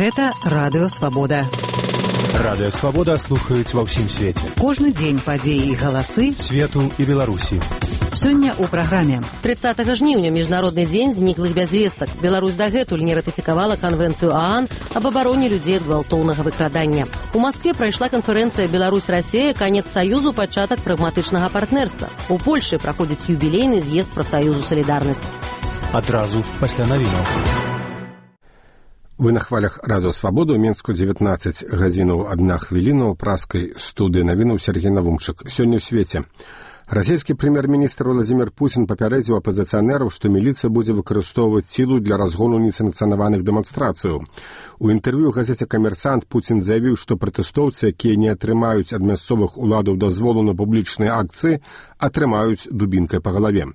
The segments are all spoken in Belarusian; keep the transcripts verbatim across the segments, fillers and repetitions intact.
Гэта Радыё Свабода. Радыё Свабода слухаюць ва ўсім свеце. Кожны дзень падзеі і галасы свету і Беларусі. Сёння ў праграме. тридцатага жніўня міжнародны дзень зніклых без вестак. Беларусь дагэтуль не ратыфікавала канвенцыю ААН аб абароне людзей ад гвалтоўнага выкрадання. У Маскве прайшла канферэнцыя Беларусь-Расія канец саюзу, пачатак прагматычнага партнерства. У Польшы праходзіць юбілейны з'езд прафсаюзу «Салідарнасць». Адразу пасля навінаў. Вы на хвалях Радыё Свабода. У Мінску дзевятнаццаць гадзінаў адна хвіліна. У праскай студыі навінаў Сергей Навумчык. Сёння ў свеце. Расійскі прэм'ер-міністр Владзімір Пуцін папярэдзіў апазіцыянераў, што міліцыя будзе выкарыстоўваць сілу для разгону несанкцыянаваных дэманстрацыяў. У інтэрв'ю газеце «Камерсант» Пуцін заявіў, што пратэстоўцы, якія не атрымаюць ад мясцовых уладаў дазволу на публічныя акцыі, атрымаюць дубінкай па галаве.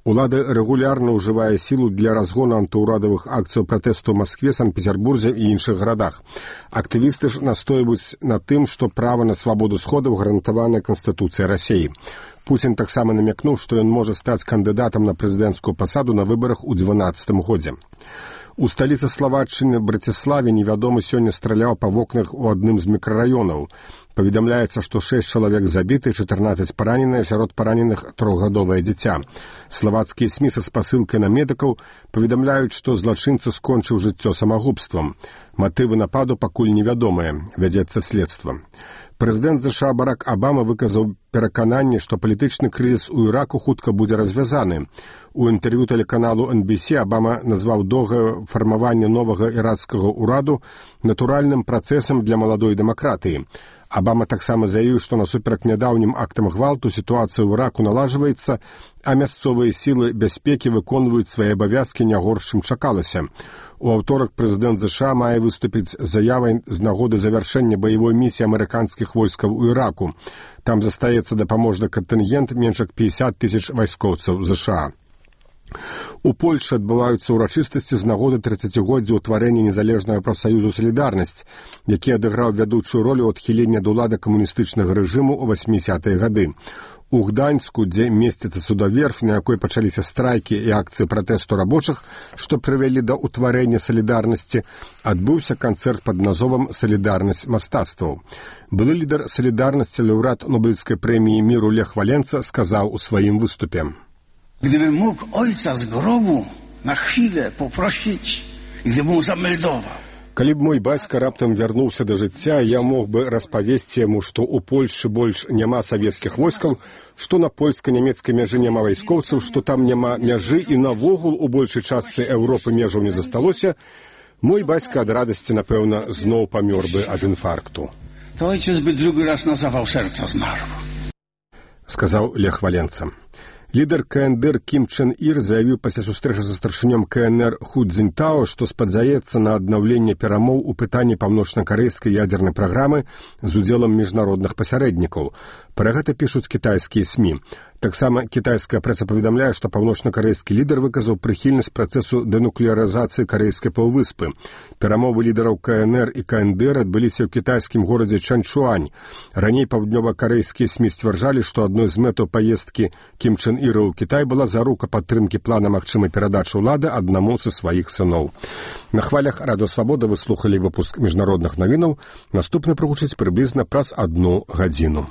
Улада рэгулярна ўжывае сілу для разгону антыўрадавых акцыяў пратэсту ў Маскве, Санкт-Петербурзе і іншых гарадах. Актывісты ж настойваюць на тым, што права на свабоду сходаў гарантавана Канстытуцыяй Расіі. Пуцін таксама намякнуў, што ён можа стаць кандыдатам на прэзідэнцкую пасаду на выбарах у дванаццатым годзе. У сталіцы Славаччыны Браціславе невядомы сёння страляў па вокнах у адным з мікрараёнаў. Паведамляецца, што шэсць чалавек забіты, чатырнаццаць параненыя, сярод параненых трохгадовае дзіця. Славацкія СМІ са спасылкай на медыкаў паведамляюць, што злачынца скончыў жыццё самагубствам. Матывы нападу пакуль невядомыя, вядзецца следства. Прэзідэнт ЗША Барак Абама выказаў перакананне, што палітычны крызіс у Іраку хутка будзе развязаны. У інтэрв'ю тэлеканалу эн би си Абама назваў доўгае фармаванне новага іракскага ўраду натуральным працэсам для маладой дэмакратыі. Абама таксама заявіў, што насуперак нядаўнім актам гвалту сітуацыя ў Іраку налажваецца, а мясцовыя сілы бяспекі выконваюць свае абавязкі не горш, чым чакалася. У аўторак прэзідэнт ЗША мае выступіць з заявай з нагоды завяршэння баявой місіі амерыканскіх войскаў у Іраку. Там застаецца дапаможны кантынгент менш як пятьдесят тысяч вайскоўцаў ЗША. У Польшы адбываюцца ўрачыстасці з нагоды трыццацігоддзя ўтварэння незалежнага прафсаюзу «Салідарнасць», які адыграў вядучую ролю ў адхіленні ад улады камуністычнага рэжыму ў васьмідзесятыя гады. У Гданьску, дзе месціцца судоверф, на якой пачаліся страйкі і акцыі пратэсту рабочых, што прывялі да ўтварэння «Салідарнасці», адбыўся канцэрт пад назовам «Салідарнасць мастацтваў». Былы лідар «Салідарнасці», лаўрэат Нобелевскай прэміі міру Лех Валенца сказаў у сваім выступе: Gdybym mógł ojca z grobu na chwilę poprosić i gdybym mu zameldował. Калі б мой бацька раптам вярнуўся да жыцця, я мог бы распавесці яму, што ў Польшы больш няма савецкіх войскаў, што на польска-нямецкай мяжы няма вайскоўцаў, што там няма мяжы і навогул у большай частцы Еўропы межаў не засталося, мой бацька ад радасці, напэўна, зноў памёр бы ад інфаркту. To ojciec by drugi raz na zawał serca zmarł. Сказаў Лех Валенца. Лідар КНДР Кім Чен Ір заявіў пасля сустрэчы са старшынём КНР Ху Цзіньтао, што спадзяецца на аднаўленне перамоў у пытанні паўночна-карэйскай ядзернай праграмы з удзелам міжнародных пасярэднікаў. Пра гэта пішуць кітайскія СМІ. Таксама кітайская прэса паведамляе, што паўночна-карэйскі лідар выказаў прыхільнасць працэсу дэнуклеарызацыі карэйскай паўвыспы. Перамовы лідараў КНР і КНДР адбыліся ў кітайскім горадзе Чанчуань. Раней паўднёва-карэйскія СМІ сцвярджалі, што адной з мэтаў паездкі Кім Чен Іра ў Кітай была зарука падтрымкі плана магчымай перадачы ўлады аднаму са сваіх сыноў. На хвалях Радыё Свабода вы слухалі выпуск міжнародных навінаў. Наступны прагучыць прыблізна праз адну гадзіну.